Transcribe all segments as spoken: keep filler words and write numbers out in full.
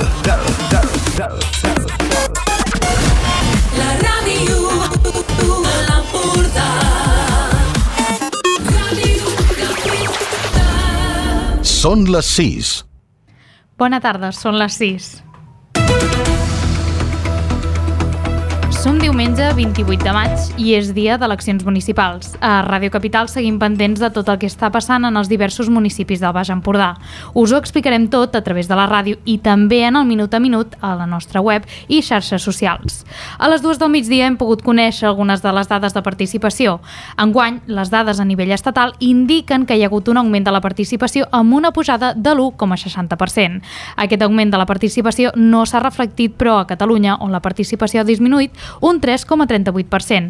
La ràdio de l'Empordà. Són les sis. Bona tarda, són les sis. Som diumenge vint-i-vuit de maig i és dia d'eleccions municipals. A Ràdio Capital seguim pendents de tot el que està passant en els diversos municipis del Baix Empordà. Us ho explicarem tot a través de la ràdio i també en el Minut a Minut a la nostra web i xarxes socials. A les dues del migdia hem pogut conèixer algunes de les dades de participació. Enguany, les dades a nivell estatal indiquen que hi ha hagut un augment de la participació amb una pujada de l'u coma seixanta per cent. Aquest augment de la participació no s'ha reflectit, però a Catalunya, on la participació ha disminuït, un tres coma trenta-vuit per cent.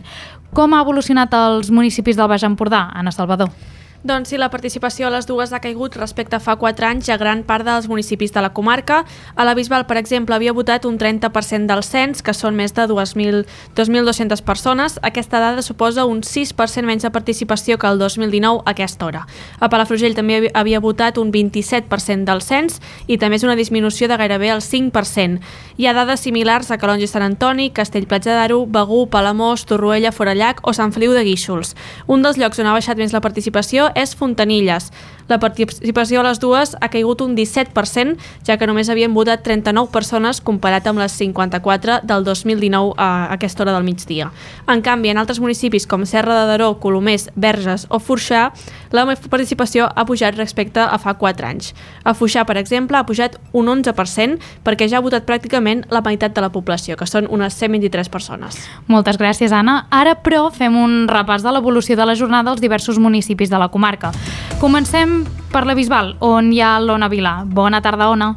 Com ha evolucionat els municipis del Baix Empordà, Anna Salvador? Doncs sí, la participació a les dues ha caigut respecte a fa quatre anys a gran part dels municipis de la comarca. A la Bisbal, per exemple, havia votat un trenta per cent del cens, que són més de dos mil dos-centes persones. Aquesta dada suposa un sis per cent menys de participació que el dos mil dinou a aquesta hora. A Palafrugell també havia votat un vint-i-set per cent del cens i també és una disminució de gairebé el cinc per cent. Hi ha dades similars a Calonge i Sant Antoni, Castell-Platja d'Aro, Begur, Palamós, Torroella, Forallac o Sant Feliu de Guíxols. Un dels llocs on ha baixat més la participació és Fontanilles. La participació a les dues ha caigut un disset per cent, ja que només havien votat trenta-nou persones comparat amb les cinquanta-quatre del dos mil dinou a aquesta hora del migdia. En canvi, en altres municipis com Serra de Daró, Colomers, Verges o Foixà, la participació ha pujat respecte a fa quatre anys. A Foixà, per exemple, ha pujat un onze per cent perquè ja ha votat pràcticament la meitat de la població, que són unes cent vint-i-tres persones. Moltes gràcies, Anna. Ara, però, fem un repàs de l'evolució de la jornada als diversos municipis de la comarca. Comencem per la Bisbal, on hi ha l'Ona Vilà. Bona tarda, Ona.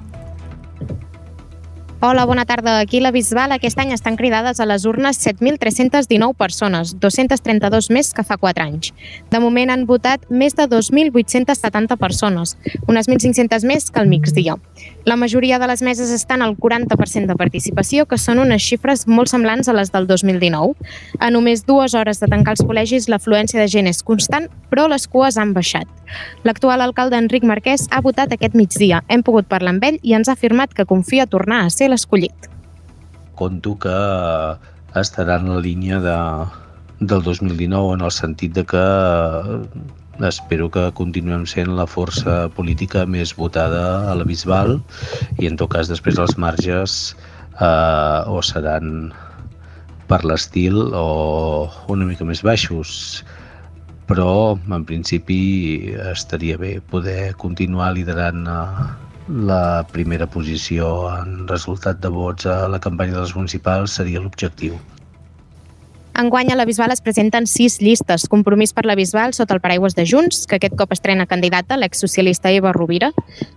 Hola, bona tarda. Aquí a la Bisbal aquest any estan cridades a les urnes set mil tres-cents dinou persones, dos-cents trenta-dos més que fa quatre anys. De moment han votat més de dos mil vuit-cents setanta persones, unes mil cinc-centes més que al migdia. La majoria de les meses estan al quaranta per cent de participació, que són unes xifres molt semblants a les del dos mil dinou. A només dues hores de tancar els col·legis, l'afluència de gent és constant, però les cues han baixat. L'actual alcalde Enric Marquès ha votat aquest migdia. Hem pogut parlar amb ell i ens ha afirmat que confia tornar a ser l'escollit. Conto que estarà en la línia de, del dos mil dinou, en el sentit de que espero que continuem sent la força política més votada a la Bisbal i en tot cas després els marges eh, o seran per l'estil o una mica més baixos, però en principi estaria bé poder continuar liderant eh, la primera posició en resultat de vots a la campanya de les municipals seria l'objectiu. Enguany a la Bisbal es presenten sis llistes. Compromís per la Bisbal sota el paraigües de Junts, que aquest cop estrena candidata, l'exsocialista Eva Rovira.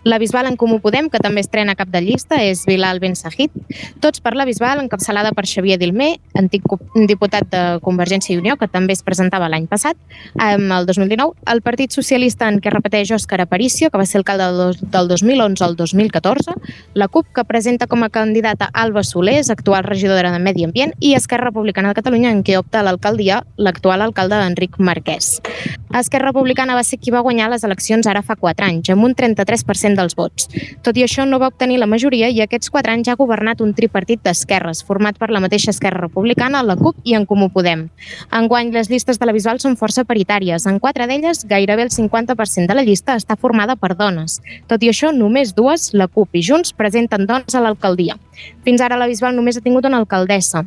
La Bisbal en Comú Podem, que també estrena cap de llista, és Bilal Ben Sahid. Tots per la Bisbal, encapçalada per Xavier Dilmé, antic diputat de Convergència i Unió, que també es presentava l'any passat, el dos mil dinou. El Partit Socialista, en què repeteix Òscar Aparicio, que va ser alcalde del dos mil onze al dos mil catorze. La CUP, que presenta com a candidata Alba Solés, actual regidora de Medi Ambient, i Esquerra Republicana de Catalunya, en que opta a l'alcaldia l'actual alcalde Enric Marquès. Esquerra Republicana va ser qui va guanyar les eleccions ara fa quatre anys, amb un trenta-tres per cent dels vots. Tot i això no va obtenir la majoria i aquests quatre anys ha governat un tripartit d'esquerres, format per la mateixa Esquerra Republicana, la CUP i en Comú Podem. Enguany, les llistes de la Bisbal són força paritàries. En quatre d'elles, gairebé el cinquanta per cent de la llista està formada per dones. Tot i això, només dues, la CUP i Junts, presenten dones a l'alcaldia. Fins ara la Bisbal només ha tingut una alcaldessa.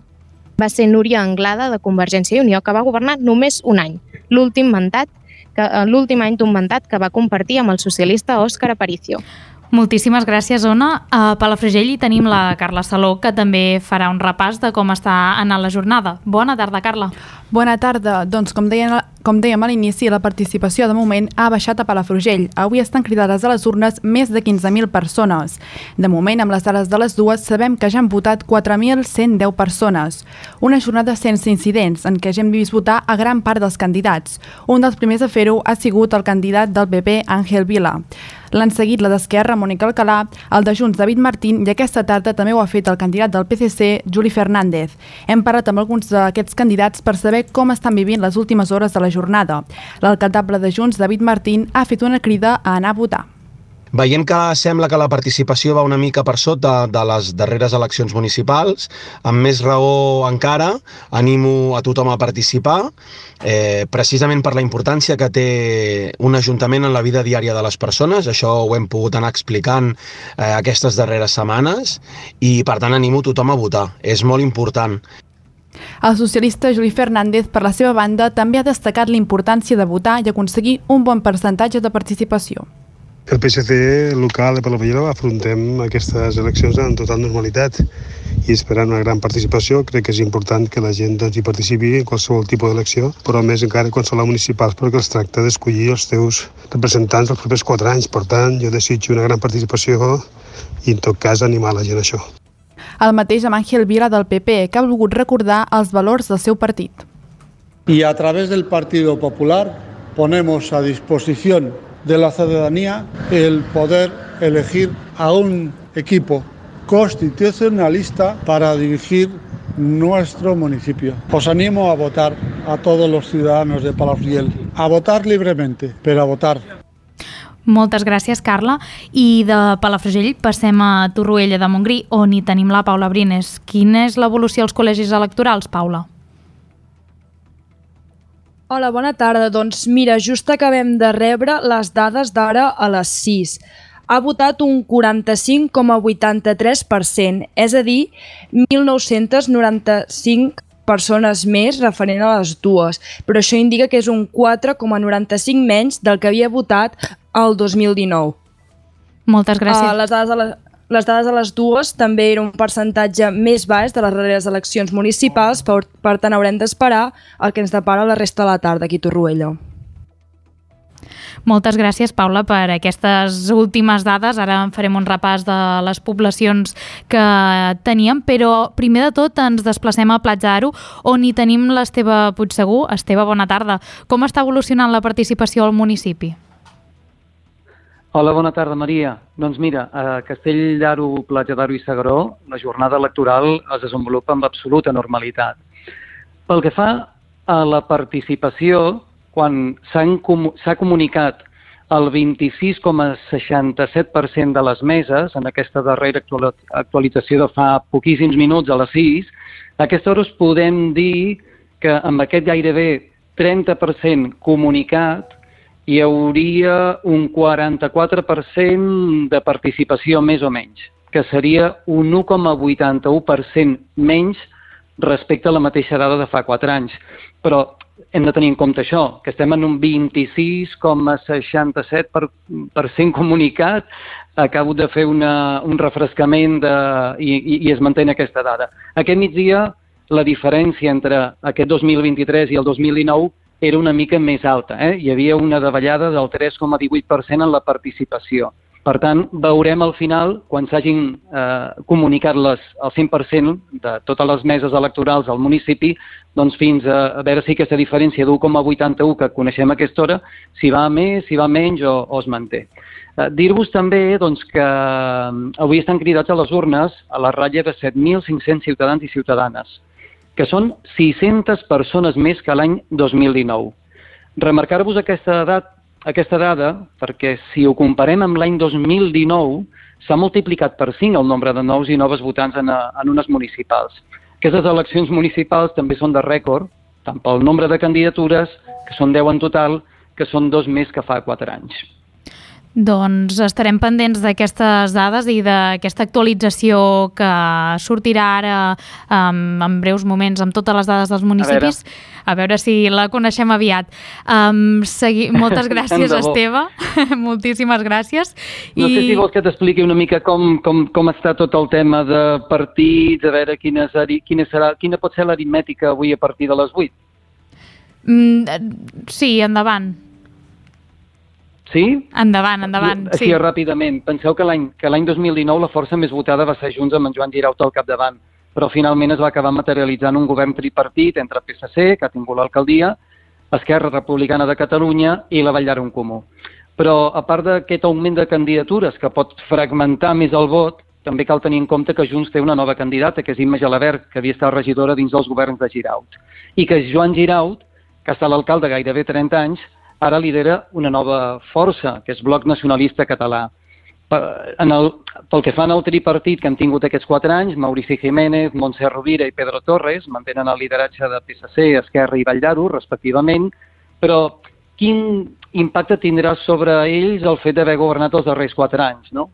Va ser Núria Anglada, de Convergència i Unió, que va governar només un any, l'últim mandat, l'últim any d'un mandat que va compartir amb el socialista Òscar Aparicio. Moltíssimes gràcies, Ona. A Palafrugell hi tenim la Carla Saló, que també farà un repàs de com està anant la jornada. Bona tarda, Carla. Bona tarda. Doncs, com deien, com dèiem a l'inici, la participació de moment ha baixat a Palafrugell. Avui estan cridades a les urnes més de quinze mil persones. De moment, amb les dades de les dues, sabem que ja han votat quatre mil cent deu persones. Una jornada sense incidents, en què ja hem vist votar a gran part dels candidats. Un dels primers a fer-ho ha sigut el candidat del P P, Ángel Vila. L'han seguit la d'Esquerra, Mònica Alcalà, el de Junts, David Martín, i aquesta tarda també ho ha fet el candidat del P C C, Juli Fernández. Hem parlat amb alguns d'aquests candidats per saber com estan vivint les últimes hores de la jornada. L'alcaldable de Junts, David Martín, ha fet una crida a anar a votar. Veiem que sembla que la participació va una mica per sota de les darreres eleccions municipals. Amb més raó encara, animo a tothom a participar, eh, precisament per la importància que té un ajuntament en la vida diària de les persones. Això ho hem pogut anar explicant eh, aquestes darreres setmanes i, per tant, animo tothom a votar. És molt important. El socialista Juli Fernández, per la seva banda, també ha destacat la importància de votar i aconseguir un bon percentatge de participació. El P S C local de Palafrugell afrontem aquestes eleccions en total normalitat i esperant una gran participació. Crec que és important que la gent doncs, hi participi en qualsevol tipus d'elecció, però més encara quan són les municipals, perquè es tracta d'escollir els teus representants els propers quatre anys. Per tant, jo desitjo una gran participació i, en tot cas, animar la gent a això. El mateix amb Ángel Vila del P P, que ha volgut recordar els valors del seu partit. Y a través del Partido Popular ponemos a disposición de la ciudadanía el poder elegir a un equipo constitucionalista para dirigir nuestro municipio. Os animo a votar a todos los ciudadanos de Palafrugell, a votar libremente, pero a votar. Moltes gràcies, Carla. I de Palafrugell passem a Torroella de Montgrí, on hi tenim la Paula Brines. Quina és l'evolució als col·legis electorals, Paula? Hola, bona tarda. Doncs mira, just acabem de rebre les dades d'ara a les sis. Ha votat un quaranta-cinc coma vuitanta-tres per cent, és a dir, mil nou-cents noranta-cinc persones més referent a les dues, però això indica que és un quatre coma noranta-cinc menys del que havia votat el dos mil dinou. Moltes gràcies. Uh, les dades a la... Les dades a les dues també era un percentatge més baix de les darreres eleccions municipals, per, per tant haurem d'esperar el que ens depara la resta de la tarda aquí a Torroella. Moltes gràcies, Paula, per aquestes últimes dades. Ara en farem un repàs de les poblacions que teníem, però primer de tot ens desplacem a Platja d'Aro, on hi tenim l'Esteve Puigsegur. Esteve, bona tarda. Com està evolucionant la participació al municipi? Hola, bona tarda, Maria. Doncs mira, a Castell d'Aro, Platja d'Aro i S'Agaró, la jornada electoral es desenvolupa amb absoluta normalitat. Pel que fa a la participació, quan s'ha comunicat el vint-i-sis coma seixanta-set per cent de les meses, en aquesta darrera actualització de fa poquíssims minuts, a les sis, a aquesta hora us podem dir que amb aquest gairebé trenta per cent comunicat hi hauria un quaranta-quatre per cent de participació més o menys, que seria un u coma vuitanta-u per cent menys respecte a la mateixa dada de fa quatre anys. Però hem de tenir en compte això, que estem en un vint-i-sis coma seixanta-set per cent comunicat. Acabo de fer una, un refrescament de, i, i, i es manté aquesta dada. Aquest migdia, la diferència entre aquest dos mil vint-i-tres i el dos mil dinou era una mica més alta. Eh? Hi havia una davallada del tres coma divuit per cent en la participació. Per tant, veurem al final, quan s'hagin eh, comunicat les, el cent per cent de totes les meses electorals al municipi, doncs fins a, a veure si aquesta diferència d'u coma vuitanta-u que coneixem a aquesta hora, si va més, si va menys o, o es manté. Eh, Dir-vos també doncs, que avui estan cridats a les urnes a la ratlla de set mil cinc-cents ciutadans i ciutadanes, que són sis-centes persones més que l'any dos mil dinou. Remarcar-vos aquesta, edat, aquesta dada perquè si ho comparem amb l'any dos mil dinou s'ha multiplicat per cinc el nombre de nous i noves votants en, en unes municipals. Aquestes eleccions municipals també són de rècord, tant pel nombre de candidatures, que són deu en total, que són dos més que fa quatre anys. Doncs estarem pendents d'aquestes dades i d'aquesta actualització que sortirà ara um, en breus moments amb totes les dades dels municipis. A veure, a veure si la coneixem aviat. Um, segui... Moltes gràcies, Esteve. Moltíssimes gràcies. No I... sé si vols que t'expliqui una mica com, com, com està tot el tema de partits, a veure quina, quina, serà, quina pot ser l'aritmètica avui a partir de les vuit. Mm, sí, endavant. Sí? Endavant, endavant. Així sí. Ràpidament. Penseu que l'any que l'any dos mil dinou la força més votada va ser Junts amb en Joan Giraut al capdavant, però finalment es va acabar materialitzant un govern tripartit entre P S C, que ha tingut l'alcaldia, Esquerra Republicana de Catalunya i la Vall d'Aro en Comú. Però a part d'aquest augment de candidatures que pot fragmentar més el vot, també cal tenir en compte que Junts té una nova candidata, que és Imma Gelabert, que havia estat regidora dins dels governs de Giraut, i que Joan Giraut, que ha estat l'alcalde gairebé trenta anys, ara lidera una nova força, que és Bloc Nacionalista Català. En el, pel que fa en el tripartit que hem tingut aquests quatre anys, Maurici Jiménez, Montse Rovira i Pedro Torres mantenen el lideratge de P S C, Esquerra i Vall d'Aro, respectivament, però quin impacte tindrà sobre ells el fet d'haver governat els darrers quatre anys, no?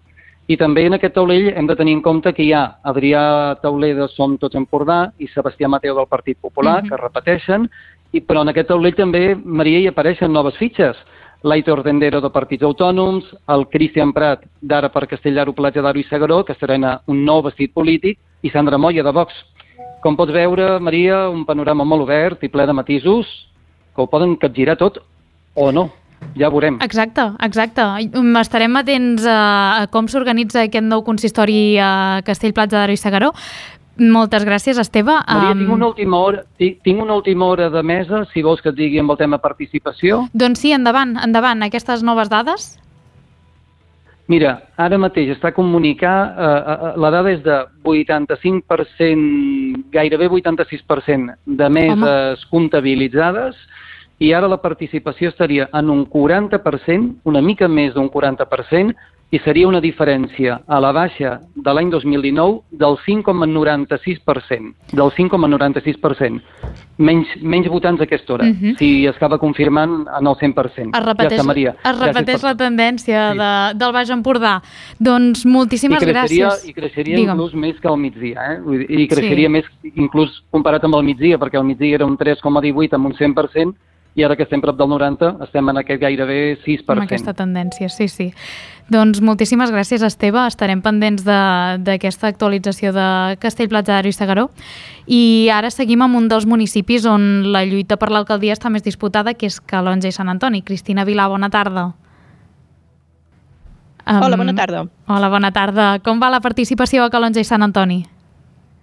I també en aquest taulell hem de tenir en compte que hi ha Adrià Tauler de Som Tots Empordà i Sebastià Mateu del Partit Popular, uh-huh. que repeteixen, i, però en aquest taulell també, Maria, hi apareixen noves fitxes. l'Aitor Dendero de Partits Autònoms, el Cristian Prat d'Ara per Castellar, Platja d'Aro i Segaró, que estrena un nou vestit polític, i Sandra Moya de Vox. Com pots veure, Maria, un panorama molt obert i ple de matisos que ho poden capgirar tot o no. Ja veurem. Exacte, exacte. Estarem atents a, a com s'organitza aquest nou consistori a Castell, Platja d'Aro i Segaró. Moltes gràcies, Esteve. Maria, um... tinc, una última hora, tinc, tinc una última hora de mesa, si vols que et digui amb el tema participació. Doncs sí, endavant, endavant. Aquestes noves dades? Mira, ara mateix està comunicar, eh, la dada és de vuitanta-cinc per cent, gairebé vuitanta-sis per cent de meses comptabilitzades, i ara la participació estaria en un quaranta per cent, una mica més d'un quaranta per cent, i seria una diferència a la baixa de l'any dos mil dinou del cinc coma noranta-sis per cent. Del cinc coma noranta-sis per cent. Menys, menys votants a aquesta hora, uh-huh. si es acaba confirmant en el cent per cent. Es repeteix, ja està, Maria. Es repeteix per... la tendència sí. de, del Baix Empordà. Doncs moltíssimes I creixeria, gràcies. I creixeria Digue'm. inclús més que al migdia, eh? I creixeria sí. més inclús comparat amb el migdia, perquè el migdia era un tres coma divuit amb un cent per cent, i ara que estem prop del noranta, estem en aquest gairebé sis per cent. Amb aquesta tendència, sí, sí. Doncs moltíssimes gràcies, Esteve. Estarem pendents d'aquesta actualització de Castell, Platja d'Aro i Segaró. I ara seguim amb un dels municipis on la lluita per l'alcaldia està més disputada, que és Calonge i Sant Antoni. Cristina Vilà, bona tarda. Um, hola, bona tarda. Hola, bona tarda. Com va la participació a Calonge i Sant Antoni?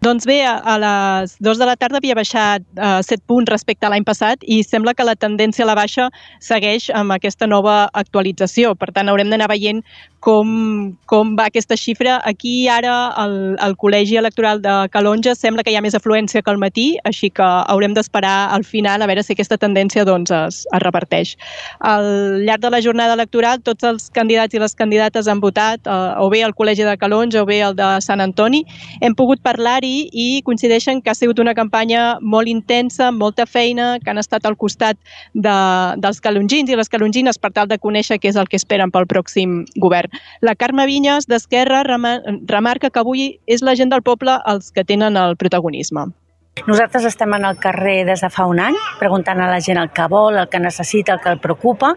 Doncs bé, a les dues de la tarda havia baixat uh, set punts respecte a l'any passat i sembla que la tendència a la baixa segueix amb aquesta nova actualització. Per tant, haurem d'anar veient com, com va aquesta xifra. Aquí ara el, el Col·legi Electoral de Calonge sembla que hi ha més afluència que al matí, així que haurem d'esperar al final a veure si aquesta tendència doncs, es, es reverteix. Al llarg de la jornada electoral, tots els candidats i les candidates han votat, uh, o bé el Col·legi de Calonge o bé el de Sant Antoni. Hem pogut parlar-hi i coincideixen que ha sigut una campanya molt intensa, amb molta feina, que han estat al costat de, dels calongins i les calongines per tal de conèixer què és el que esperen pel pròxim govern. La Carme Vinyes, d'Esquerra, remarca que avui és la gent del poble els que tenen el protagonisme. Nosaltres estem en el carrer des de fa un any, preguntant a la gent el que vol, el que necessita, el que el preocupa,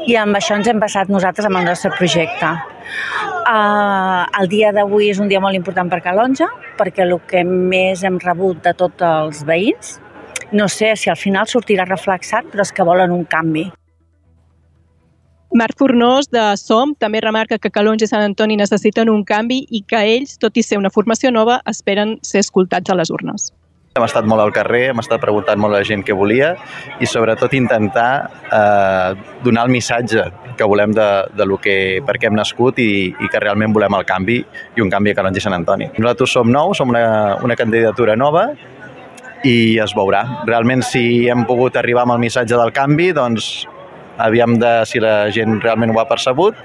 i amb això ens hem basat nosaltres amb el nostre projecte. Uh, el dia d'avui és un dia molt important per Calonge, perquè el que més hem rebut de tots els veïns, no sé si al final sortirà reflexat, però és que volen un canvi. Marc Fornós, de Som, també remarca que Calonge i Sant Antoni necessiten un canvi i que ells, tot i ser una formació nova, esperen ser escoltats a les urnes. Hem estat molt al carrer, hem estat preguntant molt a la gent què volia i sobretot intentar eh, donar el missatge que volem de, de lo que, per què hem nascut i, i que realment volem el canvi i un canvi a Calonge i Sant Antoni. Nosaltres som nous, som una, una candidatura nova i es veurà. Realment si hem pogut arribar amb el missatge del canvi, doncs aviam de si la gent realment ho ha percebut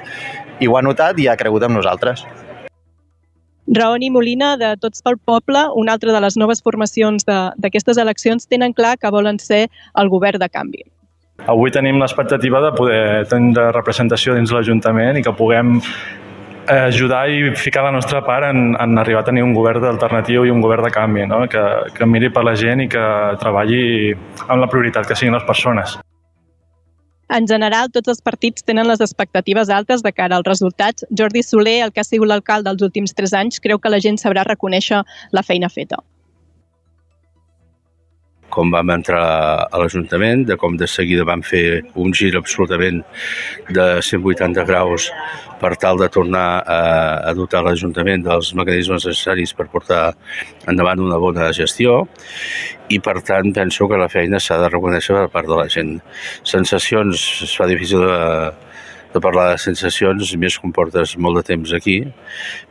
i ho ha notat i ha cregut en nosaltres. Raoni Molina, de Tots pel Poble, una altra de les noves formacions d'aquestes eleccions, tenen clar que volen ser el govern de canvi. Avui tenim l'expectativa de poder tenir representació dins l'Ajuntament i que puguem ajudar i ficar la nostra part en, en arribar a tenir un govern alternatiu i un govern de canvi, no? que, que miri per la gent i que treballi amb la prioritat que siguin les persones. En general, tots els partits tenen les expectatives altes de cara als resultats. Jordi Soler, el que ha sigut l'alcalde dels últims tres anys, creu que la gent sabrà reconèixer la feina feta. Com vam entrar a l'Ajuntament, de com de seguida vam fer un gir absolutament de cent vuitanta graus per tal de tornar a, a dotar l'Ajuntament dels mecanismes necessaris per portar endavant una bona gestió i, per tant, penso que la feina s'ha de reconèixer per part de la gent. Sensacions, es fa difícil de, de parlar de sensacions, més quan portes molt de temps aquí,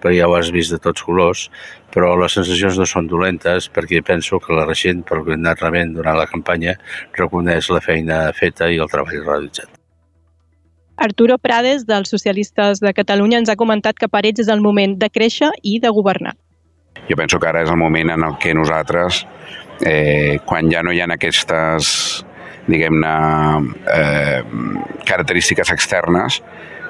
perquè ja ho has vist de tots colors, però les sensacions no són dolentes perquè penso que la gent, per el que hem anat rebent durant la campanya, reconeix la feina feta i el treball realitzat. Arturo Prades, dels Socialistes de Catalunya, ens ha comentat que per ells és el moment de créixer i de governar. Jo penso que ara és el moment en el que nosaltres, eh, quan ja no hi ha aquestes, diguem-ne, eh, característiques externes,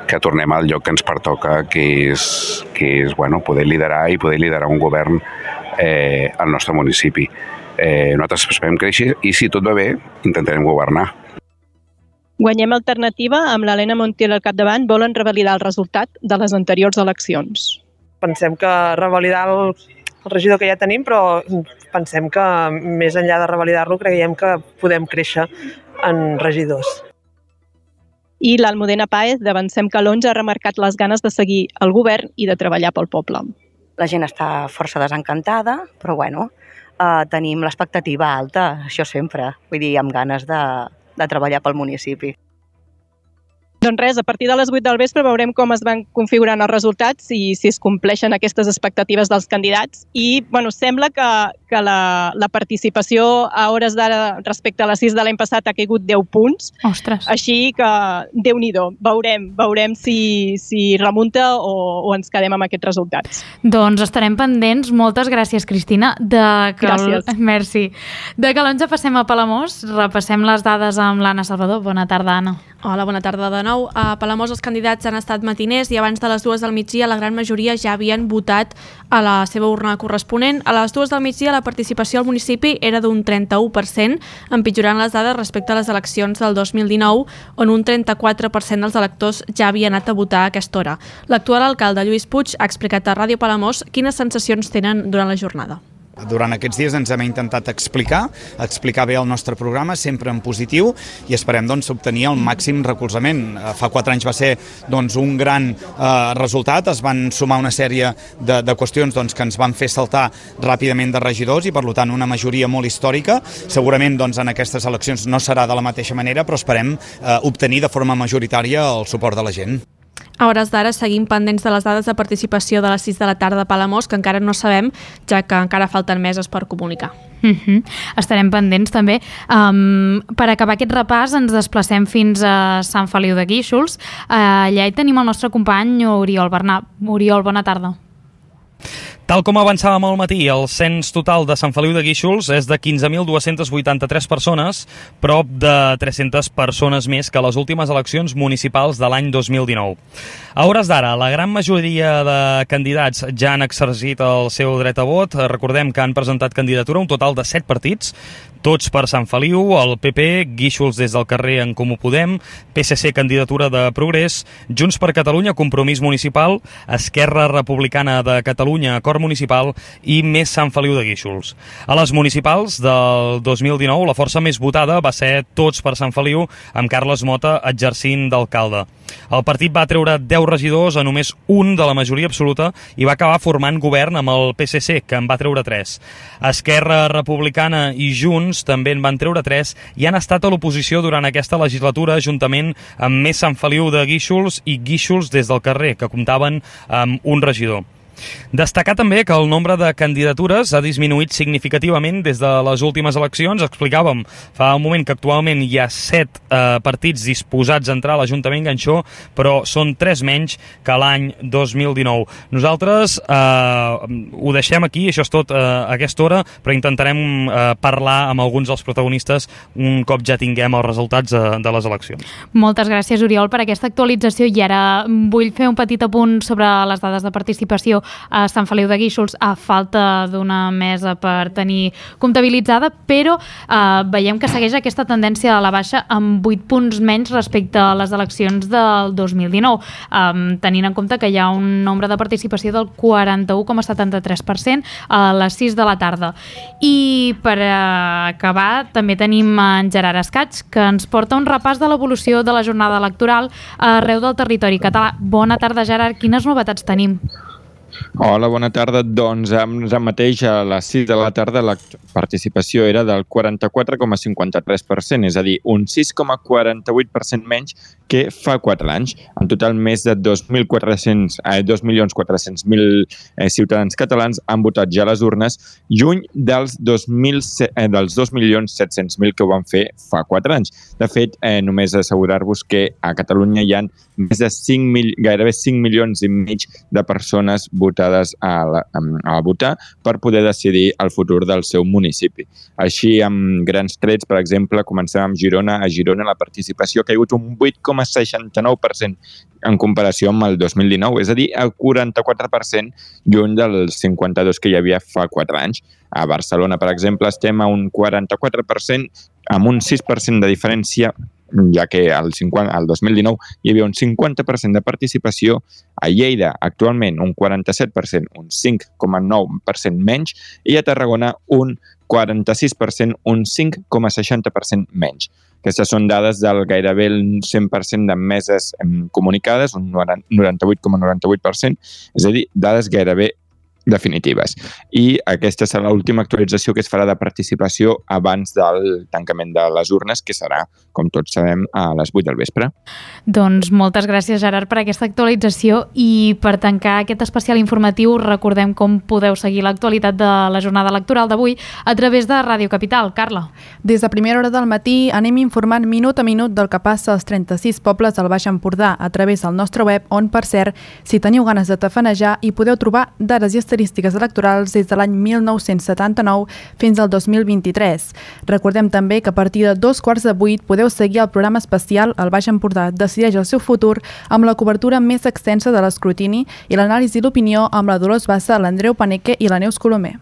que tornem al lloc que ens pertoca, que és, que és bueno, poder liderar i poder liderar un govern eh, al nostre municipi. Eh, nosaltres esperem créixer i, si tot va bé, intentarem governar. Guanyem Alternativa, amb l'Helena Montiel al capdavant, volen revalidar el resultat de les anteriors eleccions. Pensem que revalidar el, el regidor que ja tenim, però pensem que més enllà de revalidar-lo creiem que podem créixer en regidors. I l'Almudena Páez, d'Avancem que l'onze, ha remarcat les ganes de seguir el govern i de treballar pel poble. La gent està força desencantada, però bueno, eh, tenim l'expectativa alta, això sempre, vull dir, amb ganes de, de treballar pel municipi. Doncs res, a partir de les vuit del vespre veurem com es van configurant els resultats i si es compleixen aquestes expectatives dels candidats. I bueno, sembla que, que la, la participació a hores d'ara respecte a les sis de l'any passat ha caigut deu punts. Ostres. Així que, Déu-n'hi-do, veurem, veurem si, si remunta o, o ens quedem amb aquests resultats. Doncs estarem pendents. Moltes gràcies, Cristina. De que Gràcies. El... Merci. De que l'onze passem a Palamós, repassem les dades amb l'Anna Salvador. Bona tarda, Anna. Hola, bona tarda de nou. A Palamós els candidats han estat matiners i abans de les dues del migdia la gran majoria ja havien votat a la seva urna corresponent. A les dues del migdia la participació al municipi era d'un trenta-u per cent, empitjorant les dades respecte a les eleccions del dos mil dinou, on un trenta-quatre per cent dels electors ja havien anat a votar a aquesta hora. L'actual alcalde Lluís Puig ha explicat a Ràdio Palamós quines sensacions tenen durant la jornada. Durant aquests dies ens hem intentat explicar, explicar bé el nostre programa, sempre en positiu, i esperem doncs, obtenir el màxim recolzament. Fa quatre anys va ser doncs, un gran eh, resultat, es van sumar una sèrie de, de qüestions doncs, que ens van fer saltar ràpidament de regidors i, per tant, una majoria molt històrica. Segurament doncs, en aquestes eleccions no serà de la mateixa manera, però esperem eh, obtenir de forma majoritària el suport de la gent. A hores d'ara seguim pendents de les dades de participació de les sis de la tarda a Palamós, que encara no sabem, ja que encara falten meses per comunicar. Uh-huh. Estarem pendents també. Um, per acabar aquest repàs ens desplacem fins a Sant Feliu de Guíxols. Uh, allà hi tenim el nostre company Oriol Bernat. Oriol, bona tarda. Tal com avançàvem al matí, el cens total de Sant Feliu de Guíxols és de quinze mil dues-centes vuitanta-tres persones, prop de tres-centes persones més que les últimes eleccions municipals de l'any dos mil dinou. A hores d'ara, la gran majoria de candidats ja han exercit el seu dret a vot. Recordem que han presentat candidatura un total de set partits, tots per Sant Feliu, el P P, Guíxols des del carrer en Comú Podem, P S C candidatura de Progrés, Junts per Catalunya, Compromís Municipal, Esquerra Republicana de Catalunya, Acord Municipal i Més Sant Feliu de Guíxols. A les municipals del dos mil dinou, la força més votada va ser Tots per Sant Feliu, amb Carles Mota exercint d'alcalde. El partit va treure deu regidors a només un de la majoria absoluta i va acabar formant govern amb el P S C, que en va treure tres. Esquerra Republicana i Junts també en van treure tres i han estat a l'oposició durant aquesta legislatura, juntament amb Més Sant Feliu de Guíxols i Guíxols des del carrer, que comptaven amb un regidor. Destacar també que el nombre de candidatures ha disminuït significativament des de les últimes eleccions. Explicàvem fa un moment que actualment hi ha set eh, partits disposats a entrar a l'Ajuntament Ganxó, però són tres menys que l'any dos mil dinou. Nosaltres eh, ho deixem aquí, això és tot eh, a aquesta hora, però intentarem eh, parlar amb alguns dels protagonistes un cop ja tinguem els resultats eh, de les eleccions. Moltes gràcies, Oriol, per aquesta actualització, i ara vull fer un petit apunt sobre les dades de participació a Sant Feliu de Guíxols, a falta d'una mesa per tenir comptabilitzada, però eh, veiem que segueix aquesta tendència a la baixa amb vuit punts menys respecte a les eleccions del dos mil dinou, eh, tenint en compte que hi ha un nombre de participació del quaranta-u coma setanta-tres per cent a les sis de la tarda. I per eh, acabar també tenim en Gerard Escaig, que ens porta un repàs de l'evolució de la jornada electoral arreu del territori català. Bona tarda, Gerard. Quines novetats tenim? Hola, bona tarda. Doncs ara mateix a les sis de la tarda la participació era del quaranta-quatre coma cinquanta-tres per cent, és a dir, un sis coma quaranta-vuit per cent menys que fa quatre anys. En total, més de dos milions quatre-cents mil eh, ciutadans catalans han votat ja a les urnes, lluny dels dos milions set-cents mil que ho van fer fa quatre anys. De fet, eh, només assegurar-vos que a Catalunya hi ha més de cinc mil, gairebé cinc milions i mig de persones votades a, la, a votar per poder decidir el futur del seu municipi. Així, amb grans trets, per exemple, comencem amb Girona. A Girona la participació ha caigut un vuit coma seixanta-nou per cent en comparació amb el dos mil dinou, és a dir, el quaranta-quatre per cent lluny del cinquanta-dos que hi havia fa quatre anys. A Barcelona, per exemple, estem a un quaranta-quatre per cent amb un sis per cent de diferència, ja que al dos mil dinou hi havia un cinquanta per cent de participació. A Lleida, actualment, un quaranta-set per cent, un cinc coma nou per cent menys, i a Tarragona, un quaranta-sis per cent, un cinc coma seixanta per cent menys. Aquestes són dades del gairebé el cent per cent de meses comunicades, un noranta-vuit coma noranta-vuit per cent, és a dir, dades gairebé definitives. I aquesta serà l'última actualització que es farà de participació abans del tancament de les urnes, que serà, com tots sabem, a les vuit del vespre. Doncs moltes gràcies, Gerard, per aquesta actualització, i per tancar aquest especial informatiu recordem com podeu seguir l'actualitat de la jornada electoral d'avui a través de Ràdio Capital. Carla. Des de primera hora del matí anem informant minut a minut del que passa als trenta-sis pobles del Baix Empordà a través del nostre web, on, per cert, si teniu ganes de tafanejar, hi podeu trobar dades i estadístiques electorals des de l'any mil nou-cents setanta-nou fins al dos mil vint-i-tres. Recordem també que a partir de dos quarts de vuit podeu seguir el programa especial El Baix Empordà decideix el seu futur, amb la cobertura més extensa de l'escrutini i l'anàlisi i l'opinió amb la Dolors Bassa, l'Andreu Paneque i la Neus Colomer.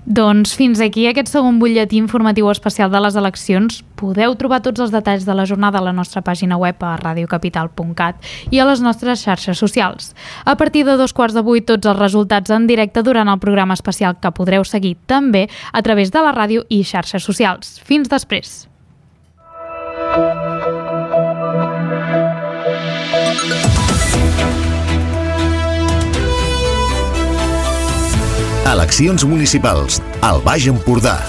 Doncs fins aquí aquest segon butlletí informatiu especial de les eleccions. Podeu trobar tots els detalls de la jornada a la nostra pàgina web a radiocapital punt cat i a les nostres xarxes socials. A partir de dos quarts de vuit, tots els resultats en directe durant el programa especial, que podreu seguir també a través de la ràdio i xarxes socials. Fins després. Eleccions municipals al Baix Empordà.